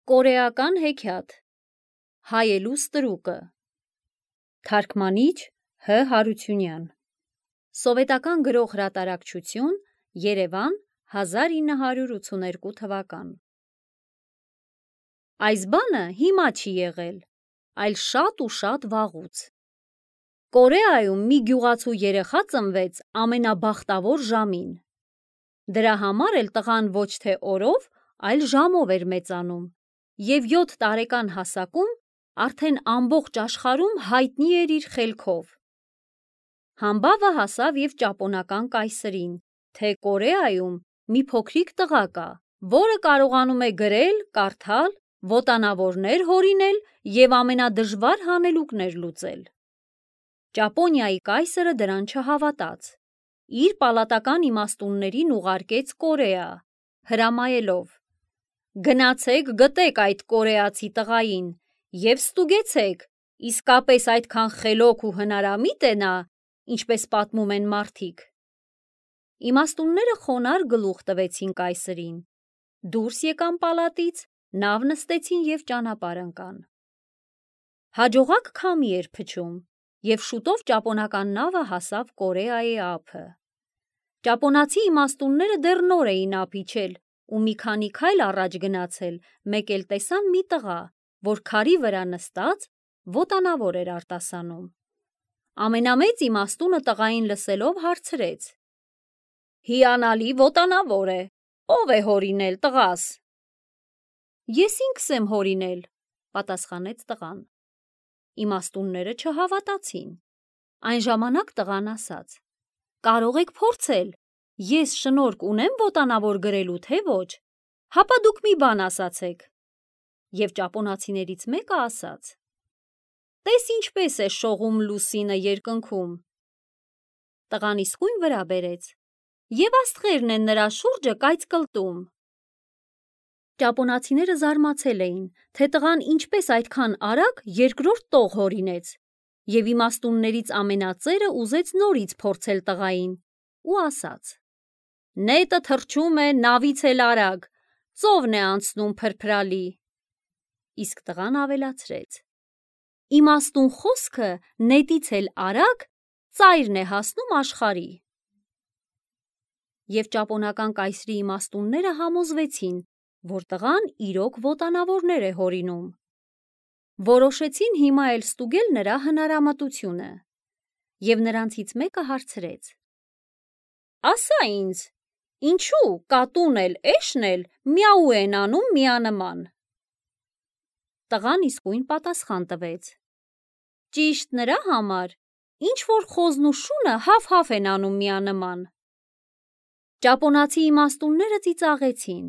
Կորեական հեքիաթ Հայելու ստրուկը Թարգմանիչ Հ. Հարությունյան Սովետական գրող հրատարակչություն Երևան 1982 թվական Այս բանը հիմա չի եղել, այլ շատ ու շատ վաղուց։ Կորեայում մի գյուղացու երեխա ծնվեց ամենաբախտավոր ժամին։ Դրա համար էլ տղան ոչ թե օրով, այլ ժամով էր մեծանում, և 7 տարեկան հասակում արդեն ամբողջ աշխարհում հայտնի էր իր խելքով։ Համբավը հասավ և ճապոնական կայսրին, թե Կորեայում մի փոքրիկ տղա կա, որը կարողանում է գրել, կարդալ, ոտանավորներ հորինել և ամենադժվար հանելուկներ լուծել։ Ճապոնիայի կայսրը դրան չհավատաց, իր պալատական իմաստուններին ուղարկեց Կորեա, հրամայելով. «Գնացեք գտեք այդ կորեացի տղային և ստուգեցեք, իսկապես այդքան խելոք ու հնարամիտ է նա, ինչպես պատմում են մարդիկ»։ Իմաստունները խոնարհ գլուխ տվեցին կայսրին, դուրս եկան պալատից, նավ նստեցին և ճանապարհ ընկան։ Հաջողակ քամի էր փչում, և շուտով ճապոնական նավը հասավ Կորեայի ափը։ Ճապոնացի իմաստունները դեռ նոր էին ափ իջել ու մի քանի քայլ առաջ գնացել, մեկ էլ տեսան մի տղա, որ քարի վրա նստած ոտանավոր էր արտասանում։ Ամենամեծ իմաստունը տղային լսելով հարցրեց. «Հիանալի ոտանավոր է, ո՞վ է հորինել, տղաս»։ «Ես ինքս եմ հորինել», պատասխանեց տղան։ Իմաստունները չհավատացին։ Այն ժամանակ տղան ասաց. «Կարող եք փորձել, ես շնորհք ունեմ ոտանավոր գրելու, թե ոչ, հապա դուք մի բան ասացեք»։ Եվ ճապոնացիներից մեկը ասաց. «Տես ինչպես է շողում լուսինը երկնքում»։ Տղան իսկույն վրա բերեց, և աստղերն են նրա շուրջը կայծկլտում։ Ճապոնացիները զարմացել էին, թե տղան ինչպես այդքան արագ երկրորդ տող հորինեց, և իմաստուններից ամենածերը ուզեց նորից փորձել տղային ու ասաց. «Նետը թռչում է նավից էլ արագ, ծովն է անցնում փրփրալի»։ Իսկ տղան ավելացրեց. «Իմաստուն խոսքը նետից էլ արագ ծայրն է հասնում աշխարհի»։ Եվ ճապոնական կայսրի իմաստունները համոզվեցին, որ տղան իրոք ոտանավորներ է հորինում։ Որոշեցին հիմա էլ ստուգել նրա հնարամտությունը, և նրանցից մեկը հարցրեց. «Ասա ինձ, ինչու կատուն էլ էշն էլ միաու են անում միանման»։ Տղան իսկույն պատասխան տվեց. «Ճիշտ նրա համար, ինչ որ խոզն ու շունը հաֆ-հաֆ են անում միանման»։ Ճապոնացի իմաստունները ծիծաղեցին.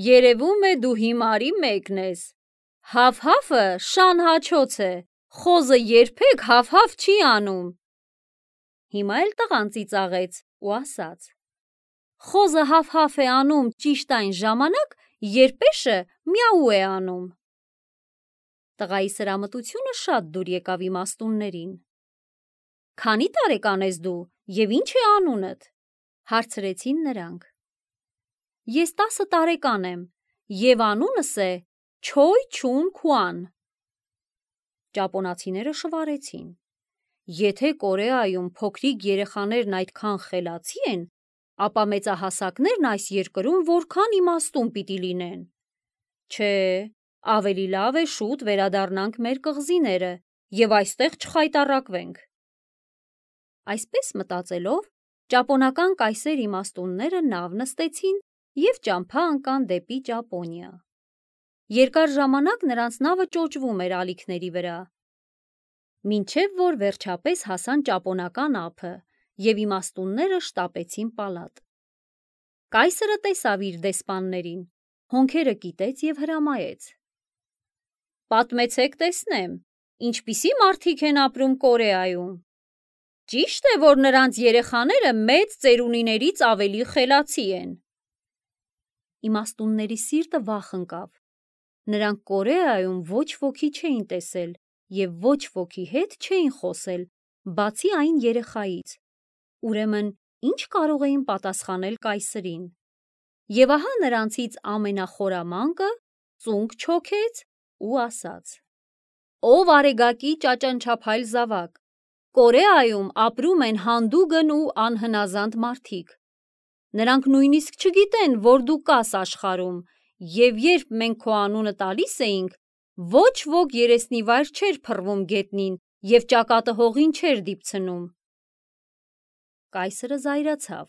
երևում է դու հիմարի մեկն ես, հաֆ-հաֆը շան հաչոց է, խոզը երբեք հաֆ-հաֆ չի անում։ Հիմա էլ տղան ծիծաղեց ու ասաց. «Խոզը հաֆ-հաֆ է անում ճիշտ այն ժամանակ, երբ էշը միաու է անում»։ Տղայի սրամտությունը շատ դուր եկավ իմաստուններին։ «Քանի տարեկան ես դու և ինչ է անունդ»։ Հարցրեցին նրանք։ «Ես 10 տարեկան եմ, և անունս է Չոյ Չուն Քուան»։ Ճապոնացիները շվարեցին. «Եթե Կորեայում փոքրիկ երեխաներն այդքան խելացի են, ապա մեծահասակներն այս երկրում որքան իմաստուն պիտի լինեն։ Չէ, ավելի լավ է շուտ վերադառնանք մեր կղզիները և այստեղ չխայտառակվենք»։ Այսպես մտածելով, ճապոնական կայսեր իմաստունները նավ նստեցին և ճամփա ընկան դեպի Ճապոնիա։ Երկար ժամանակ նրանց նավը ճոճվում էր ալիքների վրա, մինչև որ վերջապես հասան ճապոնական ափը և իմաստունները շտապեցին պալատ։ Կայսրը տեսավ իր դեսպաններին, հոնքերը կիտեց և հրամայեց. «Պատմեցեք տեսնեմ, ինչպիսի մարդիկ են ապրում Կորեայում։ Ճի՞շտ է, որ նրանց երեխաները մեծ ծերունիներից ավելի խելացի են»։ Իմաստունների սիրտը վախ ընկավ։ Նրանք Կորեայում ոչ ոքի չէին տեսել և ոչ ոքի հետ չէին խոսել, բացի այն երեխայից, ուրեմն ինչ կարող էին պատասխանել կայսրին։ Եվ ահա նրանցից ամենախորամանկը ծունկ չոքեց ու ասաց. «Ով արեգակի ճաճանչափայլ զավակ, Կորեայում ապրում են հանդուգն ու անհնազանդ մարդիկ։ Նրանք նույնիսկ չգիտեն, որ դու կաս աշխարհում, և երբ մենք քո անունը տալիս էինք, ոչ ոք երեսնիվայր չէր փռվում գետնին և ճակատը հողին չէր դիպցնում»։ Կայսրը զայրացավ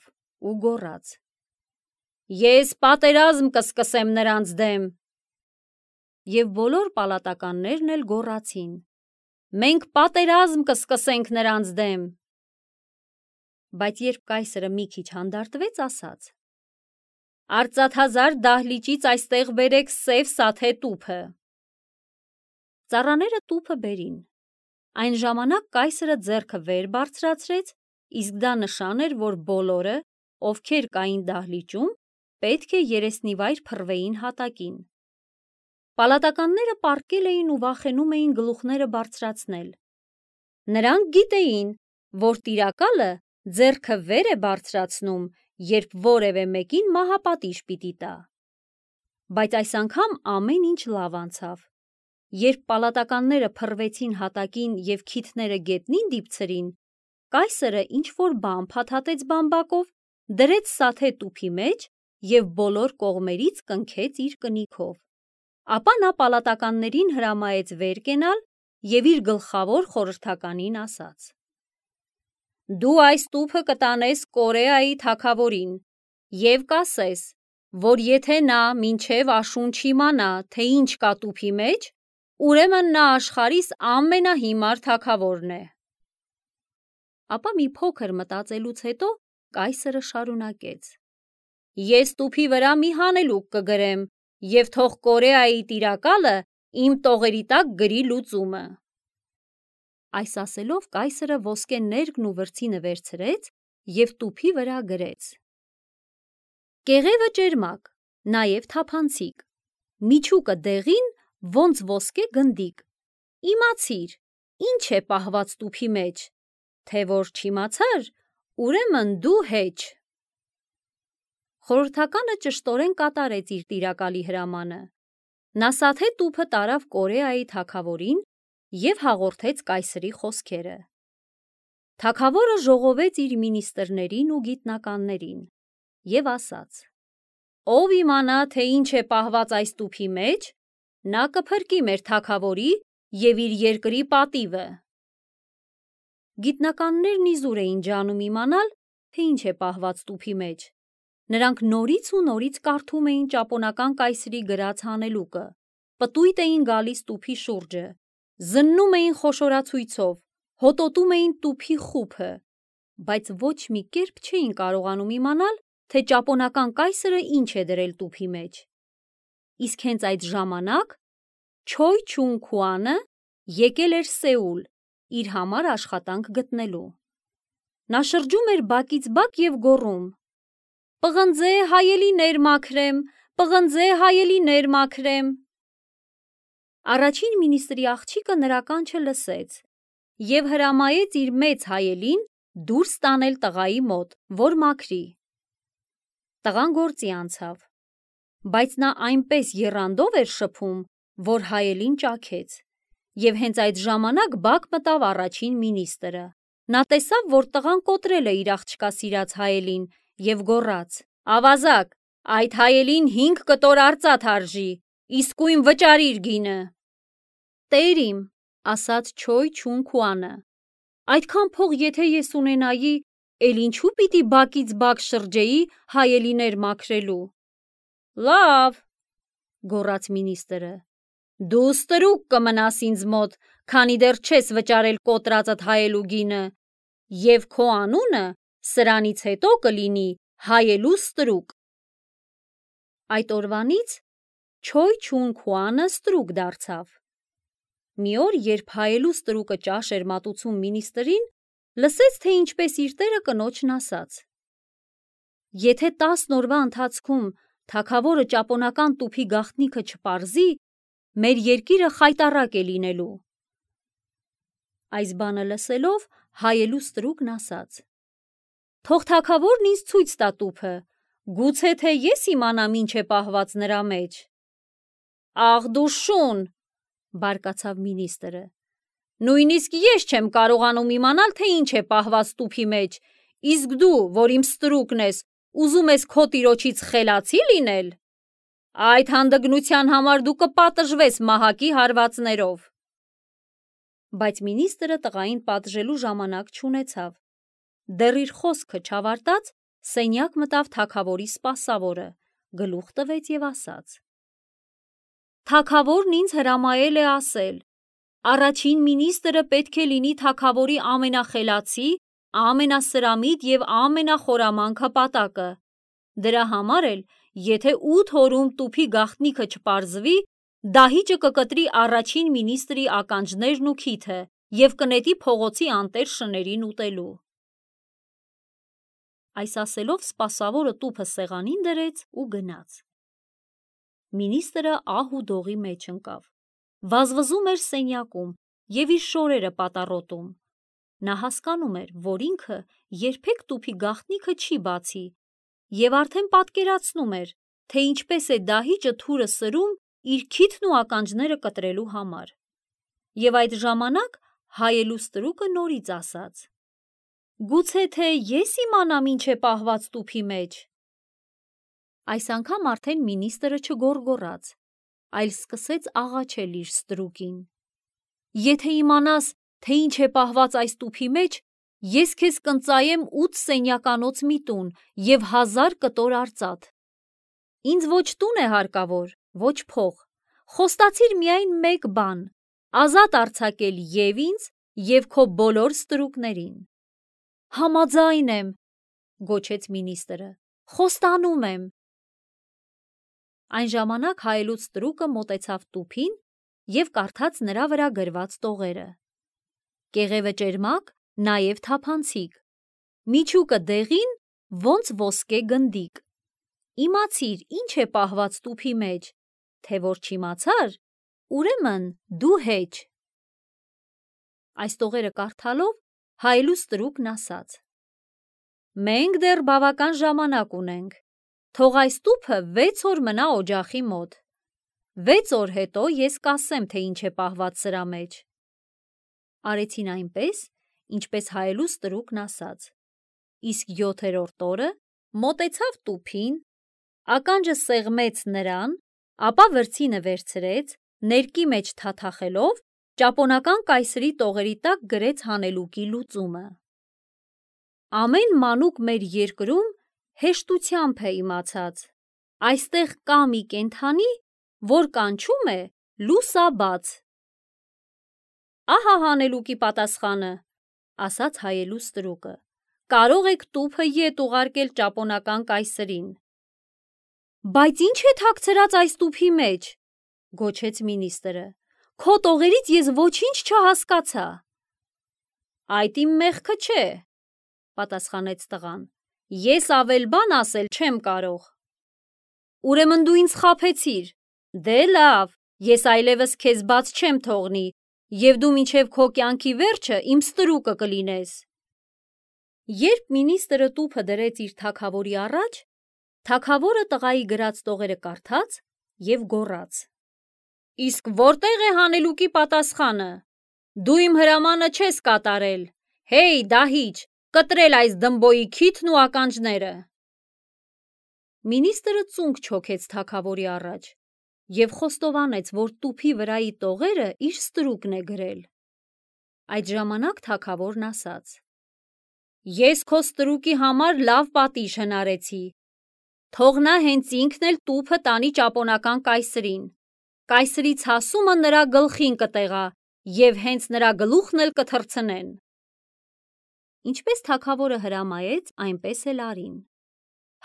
ու գոռաց. «Ես պատերազմ կսկսեմ նրանց դեմ»։ Եվ բոլոր պալատականներն էլ գոռացին. «Մենք պատերազմ կսկսենք նրանց դեմ»։ Բայց երբ կայսրը մի քիչ հանդարտվեց, ասաց. «Արծաթազարդ դահլիճից այստեղ բերեք սև սաթե տուփը»։ Ծառաները տուփը բերին։ Այն ժամանակ կայսրը ձեռքը վեր բարձրացրեց, իսկ դա նշան էր, որ բոլորը, ովքեր կային դահլիճում, պետք է երեսնիվայր փռվեին հատակին։ Պալատականները պառկել էին ու վախենում էին գլուխները բարձրացնել։ Նրանք գիտեին, որ տիրակալը ձեռքը վեր է բարձրացնում, երբ որևէ մեկին մահապատիժ պիտի տա։ Բայց այս անգամ ամեն ինչ լավ անցավ։ Երբ պալատականները փռվեցին հատակին և քիթները գետնին դիպցրին, կայսրը ինչ-որ բան փաթաթեց բամբակով, դրեց սաթե տուփի մեջ և բոլոր կողմերից կնքեց իր կնիքով։ Ապա նա պալատականներին հրամայեց վեր կենալ և իր գլխավոր խորհրդականին ասաց. «Դու այս տուփը կտանես Կորեայի թագավորին և կասես, որ եթե նա մինչև աշուն չիմանա, թե ինչ կա տուփի մեջ, ուրեմն նա աշխարհիս ամենահիմար թագավորն է»։ Ապա մի փոքր մտածելուց հետո կայսրը շարունակեց. «Ես տուփի վրա մի հանելուկ կգրեմ և թող Կորեայի տիրակալը իմ տողերի տակ գրի լուծումը»։ Այս ասելով կայսրը ոսկե ներկն ու վրձինը վերցրեց և տուփի վրա գրեց. «Կեղևը ճերմակ, նաև թափանցիկ, միջուկը դեղին, ոնց ոսկե գնդիկ։ Իմացիր, ինչ է պահված տուփի մեջ, թե որ չիմացար, ուրեմն դու հեչ»։ Խորհրդականը ճշտորեն կատարեց իր տիրակալի հրամանը։ Նա սաթե տուփը տարավ Կորեայի թագավորին և հաղորդեց կայսրի խոսքերը։ Թագավորը ժողովեց իր մինիստրներին ու գիտնականներին և ասաց. «Ով իմանա, թե ինչ է պահված այս տուփի մեջ, նա կփրկի մեր թագավորի և իր երկրի պատիվը»։ Գիտնականներն իզուր էին ջանում իմանալ, թե ինչ է պահված տուփի մեջ։ Նրանք նորից ու նորից կարդում էին ճապոնական կայսրի գրած հանելուկը, պտույտ էին գալիս տուփի շուրջը, զննում էին խոշորացույցով, հոտոտում էին տուփի խուփը, բայց ոչ մի կերպ չէին կարողանում իմանալ, թե ճապոնական կայսրը ինչ է դրել տուփի մեջ։ Իսկ հենց այդ ժամանակ Չոյ Չուն Քուանը եկել էր Սեուլ իր համար աշխատանք գտնելու։ Նա շրջում էր բակից բակ և գոռում. «Պղնձե հայելիներ մաքրեմ, պղնձե հայելիներ մաքրեմ»։ Առաջին մինիստրի աղջիկը նրա կանչը լսեց և հրամայեց իր մեծ հայելին դուրս տանել տղայի մոտ, որ մաքրի։ Տղան գործի անցավ, բայց նա այնպես եռանդով էր շփում, որ հայելին ճաքեց, և հենց այդ ժամանակ բակ մտավ առաջին մինիստրը։ Նա տեսավ, որ տղան կոտրել է իր աղջկա սիրած հայելին և գոռաց. «Ավազակ, այդ հայելին 5 կտոր արծաթ արժի, իսկույն վճարիր գինը»։ «Տեր իմ», ասաց Չոյ Չուն Քուանը, «այդքան փող եթե ես ունենայի, էլ ինչու պիտի բակից բակ շրջեի հայելիներ մաքրելու»։ «Լավ», գոռաց մինիստրը, «դու ստրուկ կմնաս ինձ մոտ, քանի դեռ չես վճարել կոտրածդ հայելու գինը, և քո անունը սրանից հետո կլինի հայելու ստրուկ»։ Այդ օրվանից Չոյ Չուն Քուանը ստրուկ դարձավ։ Մի օր, երբ հայելու ստրուկը ճաշ էր մատուցում մինիստրին, լսեց, թե ինչպես իր տերը կնոջն ասաց. «Եթե 10 օրվա ընթացքում թագավորը ճապոնական տուփի գաղտնիքը չպարզի, մեր երկիրը խայտառակ է լինելու»։ Այս բանը լսելով, հայելու ստրուկն ասաց. «Թող թագավորն ինձ ցույց տա տուփը, Գուցե թե ես իմանամ ինչ է պահված նրա մեջ։ Աղ դու շուն, բարկացավ մինիստրը։ Նույնիսկ ես չեմ կարողանում իմանալ, թե ինչ է պահված տուփի մեջ, իսկ դու, որ իմ ստրուկն ես, ուզում ես քո տիրոջից խելացի լինել։ Այդ հանդգնության համար դու կպատժվես մահակի հարվածներով։ Բայց մինիստրը տղային պատժելու ժամանակ չունեցավ։ Դեռ իր խոսքը չավարտած, սենյակ մտավ թագավորի սպասավորը, գլուխ տվեց եւ ասաց. Թագավորն ինձ հրամայել է ասել. առաջին մինիստրը պետք է լինի թագավորի ամենախելացի, ամենասրամիտ եւ ամենախորամանկ հպատակը։ Դրա համար էլ, եթե 8 օրում տուփի գաղտնիքը չպարզվի, դահիճը կկտրի առաջին մինիստրի ականջներն ու քիթը եւ կնետի փողոցի անտեր շներին ուտելու։ Այս ասելով սպասավորը տուփը սեղանին դրեց ու գնաց։ Մինիստրը ահ ու դողի մեջ ընկավ։ Վազվզում էր սենյակում եւ իր շորերը պատառոտում։ Նա հասկանում էր, որ ինքը երբեք տուփի գաղտնիքը չի բացի եւ արդեն պատկերացնում էր, թե ինչպես է դահիճը թուրը սրում իր քիթն ու ականջները կտրելու համար։ Եվ այդ ժամանակ հայելու ստրուկը նորից ասաց. Գուցե թե ես իմանամ ինչ է պահված տուփի մեջ։ Այս անգամ արդեն մինիստրը չգոռգոռաց, այլ սկսեց աղաչել իր ստրուկին. Եթե իմանաս, թե ինչ է պահված այս տուփի մեջ, ես քեզ կընծայեմ 8 սենյականոց մի տուն եւ 1000 կտոր արծաթ։ Ինձ ոչ տուն է հարկավոր, ոչ փող, խոստացիր միայն մեկ բան, ազատ արձակել եւ ինձ եւ քո բոլոր ստրուկներին։ Համաձայն եմ, գոչեց մինիստրը, խոստանում եմ։ Այն ժամանակ հայելուց ստրուկը մոտեցավ տուփին եւ կարդաց նրա վրա գրված տողերը։ Կեղևը ճերմակ, նաեւ թափանցիկ, միջուկը դեղին, ոնց ոսկե գնդիկ։ Իմացիր, ինչ է պահված տուփի մեջ, թե որ չիմացար, ուրեմն դու հեչ։ Այս տողերը կարդալով հայելու ստրուկն ասաց. Մենք դեռ բավական ժամանակ ունենք, թող այս տուփը 6 օր մնա օջախի մոտ։ 6 օր հետո ես կասեմ, թե ինչ է պահված սրա մեջ։ Արեցին այնպես, ինչպես հայելու ստրուկն ասաց։ Իսկ 7-րդ օրը մոտեցավ տուփին, ականջը սեղմեց նրան, ապա վրձինը վերցրեց, ներկի մեջ թաթախելով, ճապոնական կայսրի տողերի տակ գրեց հանելուկի լուծումը։ Ամեն մանուկ մեր երկրում հեշտությամբ է իմացած։ Այստեղ կա մի կենդանի, որ կանչում է լուսաբաց։ Ահա հանելուկի պատասխանը, ասաց հայելու ստրուկը։ Կարող եք տուփը ետ ուղարկել ճապոնական կայսրին։ Բայց ինչ է թաքցրած այս տուփի մեջ, գոչեց մինիստրը։ Քո տողերից ես ոչինչ չհասկացա։ Այդ իմ մեղքը չէ, պատասխանեց տղան։ Ես ավել բան ասել չեմ կարող։ Ուրեմն դու ինձ խաբեցիր։ Դե լավ, ես այլևս քեզ բաց չեմ թողնի, եւ դու մինչեւ քո կյանքի վերջը իմ ստրուկը կլինես։ Երբ մինիստրը տուփը դրեց իր թագավորի առաջ, թագավորը տղայի գրած տողերը կարդաց եւ գոռաց. Իսկ որտեղ է հանելուկի պատասխանը։ Դու իմ հրամանը չես կատարել։ Հեյ, դահիճ, կտրել այս դմբոյի քիթն ու ականջները։ Մինիստրը ծունկ չոքեց թագավորի առաջ եւ խոստովանեց, որ տուփի վրայի տողերը իր ստրուկն է գրել։ Այդ ժամանակ թագավորն ասաց. Ես քո ստրուկի համար լավ պատիժ հնարեցի։ Թող նա հենց ինքն էլ տուփը տանի ճապոնական կայսրին։ Կայսրի ցասումը նրա գլխին կտեղա եւ հենց նրա գլուխն էլ կթռցնեն։ Ինչպես թագավորը հրամայեց, այնպես էլ արին։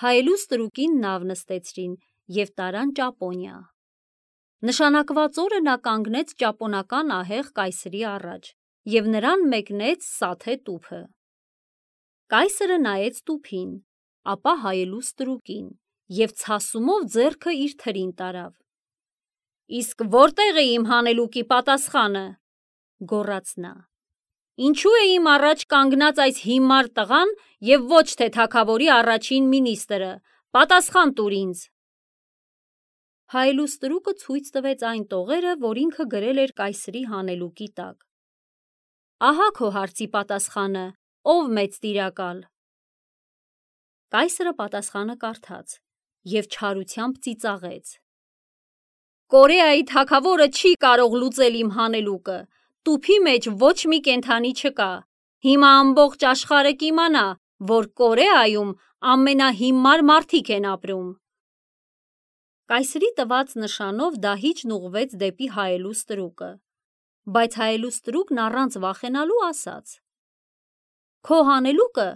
Հայելու ստրուկին նավ նստեցրին եւ տարան Ճապոնիա։ Նշանակված օրը նա կանգնեց ճապոնական ահեղ կայսրի առաջ եւ նրան մեկնեց սաթե տուփը։ Կայսրը նայեց տուփին, ապա հայելու ստրուկին եւ ցասումով ձեռքը իր թրին տարավ։ Իսկ որտեղ է իմ հանելուկի պատասխանը, գոռաց նա։ Ինչու է իմ առաջ կանգնած այս հիմար տղան եւ ոչ թե թագավորի առաջին մինիստրը, Պատասխան տուր ինձ։ Հայելուստրուկը ցույց տվեց այն տողերը, որ ինքը գրել էր կայսրի հանելուկի տակ։ Ահա քո հարցի պատասխանը, ով մեծ տիրակալ։ Կայսրը պատասխանը կարդաց և չարությամբ ծիծաղեց։ Կորեայի թագավորը չի կարող լուծել իմ հանելուկը, տուփի մեջ ոչ մի կենդանի չկա, հիմա ամբողջ աշխարհը կիմանա, որ Կորեայում ամենահիմար մարդիկ են ապրում։ Կայսրի տված նշանով դահիճն ուղղվեց դեպի հայելուստրուկը, բայց հայելուստրուկն առանց վախենալու ասաց. Քո հանելուկը,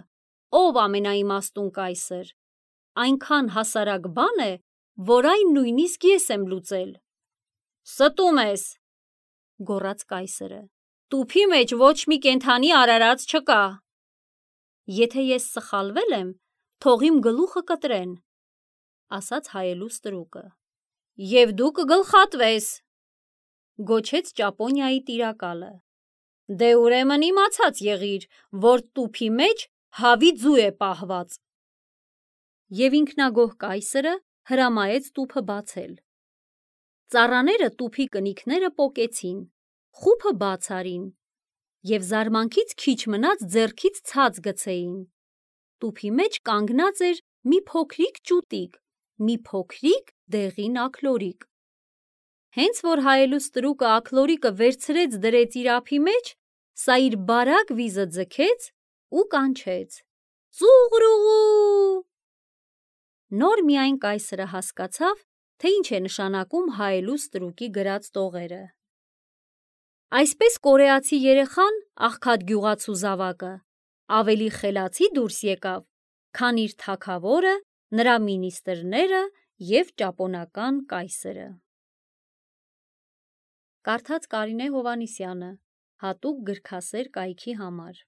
ով ամենաիմաստուն կայսր, այնքան հասարակ բան է, որ այն նույնիսկ ես եմ լուծել։ Ստում ես, գոռաց կայսրը, տուփի մեջ ոչ մի կենդանի արարած չկա։ Եթե ես սխալվել եմ, թող իմ գլուխը կտրեն, ասաց հայելուստրուկը։ Եվ դու կգլխատվես, գոչեց Ճապոնիայի տիրակալը։ Դե ուրեմն իմացած եղիր, որ տուփի մեջ հավի ձու է պահված։ Եվ ինքնագոհ կայսրը հրամայեց տուփը բացել։ Ծառաները տուփի կնիքները պոկեցին, խուփը բաց արին և զարմանքից քիչ մնաց ձեռքից ցած գցեին։ Տուփի մեջ կանգնած էր մի փոքրիկ ճուտիկ, մի փոքրիկ դեղին աքլորիկ։ Հենց որ հայելուստրուկը աքլորիկը վերցրեց դրեց իր ափի մեջ, սա իր բարակ վիզը ձգեց ու կանչեց. Ծուղրուղու։ Նոր միայն կայսրը հասկացավ, թե ինչ է նշանակում հայելուստրուկի գրած տողերը։ Այսպես կորեացի երեխան, աղքատ գյուղացու զավակը, ավելի խելացի դուրս եկավ, քան իր թագավորը, նրա մինիստրները և ճապոնական կայսրը։ Կարդաց Կարինե Հովհաննիսյանը, հատուկ գրքասեր կայքի համար։